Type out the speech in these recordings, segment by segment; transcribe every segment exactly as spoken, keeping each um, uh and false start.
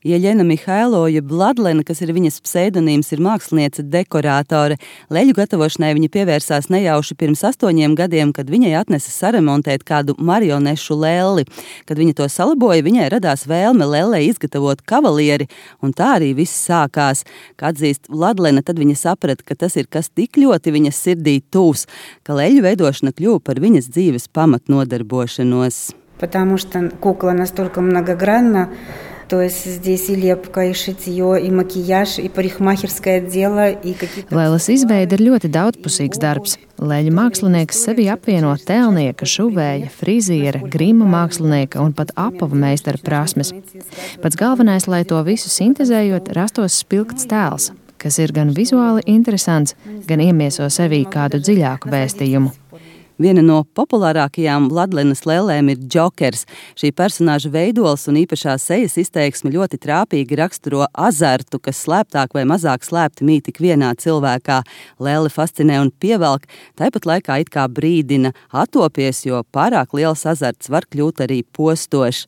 Jeļena Mihailo, jeb Vladlena, kas ir viņas pseidonīms, ir māksliniece dekorātore. Leļu gatavošanai viņa pievērsās nejauši pirms astoņiem gadiem, kad viņai atnesa saremontēt kādu marionešu lelli. Kad viņa to salaboja, viņai radās vēlme lellei izgatavot kavalieri, un tā arī viss sākās. Kā atzīst Vladlena, tad viņa saprata, ka tas ir kas tik ļoti viņas sirdī tūs, ka leļu veidošana kļuva par viņas dzīves pamatnodarbošanos. Потому что кукла настолько многогранна, то есть здесь и лепка, и šitье, и макияж, и парикмахерское дело, и какие-то... Lēles izveide ir ļoti daudzpusīgs darbs. Leļu mākslinieks sevi apvieno tēlnieka, šuvēja, friziera, grima mākslinieka un pat apava meistara prasmes. Pats galvenais, lai to visu sintezējot, rastos spilgts tēls, kas ir gan vizuāli interesants, gan iemieso sevī kādu dziļāku vēstījumu. Viena no populārākajām Vladlenas lellēm ir Džokers. Šī personāža veidols un īpašā sejas izteiksme ļoti trāpīgi raksturo azartu, kas slēptāk vai mazāk slēpti mīt tik vienā cilvēkā. Lelle fascinē un pievelk, tāpat laikā it kā brīdina attopies, jo pārāk liels azarts var kļūt arī postošs.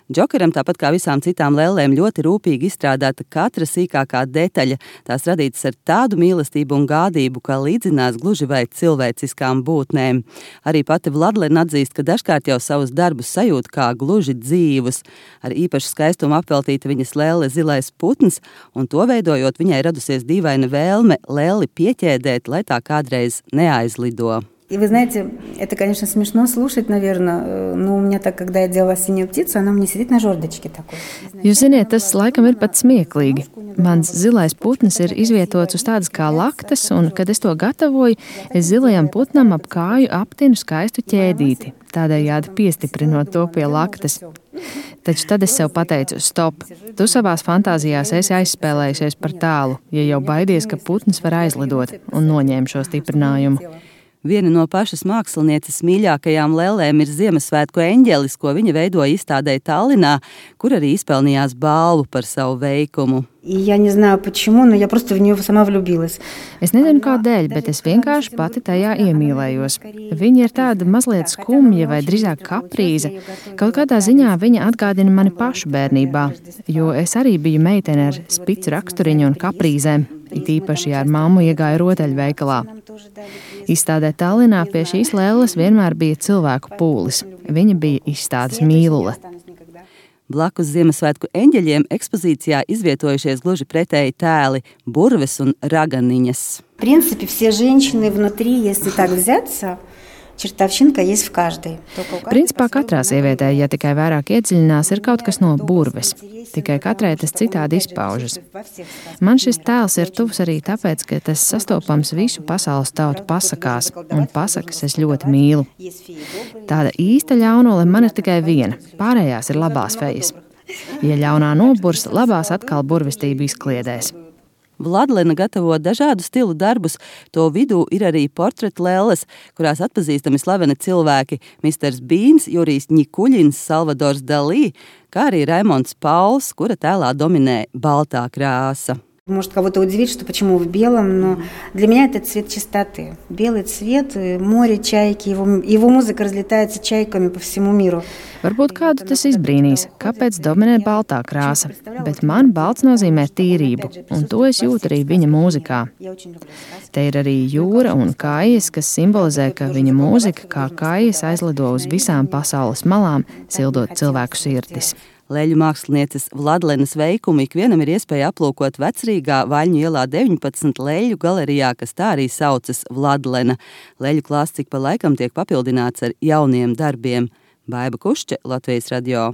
Džokeram, tāpat kā visām citām lellēm, ļoti rūpīgi izstrādāta katra sīkākā detaļa. Tās radītas ar tādu mīlestību un gādību, kā līdzinās gluži vai cilvēciskām būtnēm. Arī pati Vladlena atzīst, ka dažkārt jau savus darbus sajūt kā gluži dzīvus. Ar īpašu skaistumu apveltīta viņas lelle zilais putns, un to veidojot viņai radusies dīvaina vēlme lelli pieķēdēt, lai tā kādreiz neaizlido. И вы знаете, это, конечно, смешно слушать, наверное, но у меня так, когда я делала синюю птицу, она у меня сидит на жердочке такой. Jūs ziniet, tas laikam ir pat smieklīgi. Mans zilais putns ir izvietots uz tādas kā laktas, un, kad es to gatavoju, es zilajam putnam ap kāju aptinu skaistu ķēdīti, tādējādi piestiprinot to pie laktas. Taču tad es sev pateicu, stop, tu savās fantāzijās esi aizspēlējusies par tālu, ja jau baidies, ka putns var aizlidot, un noņēmu šo stiprinājumu. Viena no pašas mākslinieces mīļākajām lellēm ir Ziemassvētku eņģelis, ko viņa veidoja izstādē Tallinā, kur arī izpelnījās balvu par savu veikumu. Я не знаю почему, но я просто в неё сама влюбилась. Es nezinu kādēļ, bet es vienkārši pati tajā iemīlējos. Viņa ir tāda mazliet skumja vai drīzāk kaprīze. Kaut kādā ziņā viņa atgādina mani pašu bērnībā, jo es arī biju meitene ar spicu raksturiņu un kaprīzēm, it īpaši ar mammu iegāju rotaļveikalā. Izstādē Tallinā pie šīs lelles vienmēr bija cilvēku pūlis. Viņa bija izstādes mīlule. Blakus Ziemassvētku eņģeļiem ekspozīcijā izvietojušies gluži pretēji tēli – burves un raganiņas. В принципе, все женщины внутри, если так взяться, čertavšinka есть в каждой. Principā katrā sievietē, ja tikai vairāk iedziļinās, ir kaut kas no burves. Tikai katrai tas citādi izpaužas. Man šis tēls ir tuvs arī tāpēc, ka tas sastopams visu pasaules tautu pasakās, un pasakas es ļoti mīlu. Tāda īsta ļaunole man ir tikai viena, pārējās ir labās fejas. Ja ļaunā noburs, labās atkal burvestību izkliedēs. Vladlena gatavo dažādu stilu darbus, to vidū ir arī portretu lelles, kurās atpazīstami slaveni cilvēki – misters Bīns, Jurijs Ņikuļins, Salvadors Dalī, kā arī Raimonds Pauls, kura tēlā dominē baltā krāsa. Может кого-то удивить, что почему в белом, но для меня это цвет чистоты. Белый цвет, море, чайки, его, его музыка разлетается чайками по всему миру. Varbūt kādu tas izbrīnīs, kāpēc dominē baltā krāsa, bet man balts nozīmē tīrību, un to es jūtu arī viņa mūzikā. Te ir arī jūra un kājas, kas simbolizē, ka viņa mūzika kā kājas aizlido uz visām pasaules malām, sildot cilvēku sirdis. Leļu mākslinieces Vladlenas veikumu ikvienam ir iespēja aplūkot Vecrīgā Vaļņu ielā deviņpadsmit leļu galerijā, kas tā arī saucas Vladlena. Leļu klāsts ik pa laikam tiek papildināts ar jauniem darbiem. Baiba Kušče, Latvijas radio.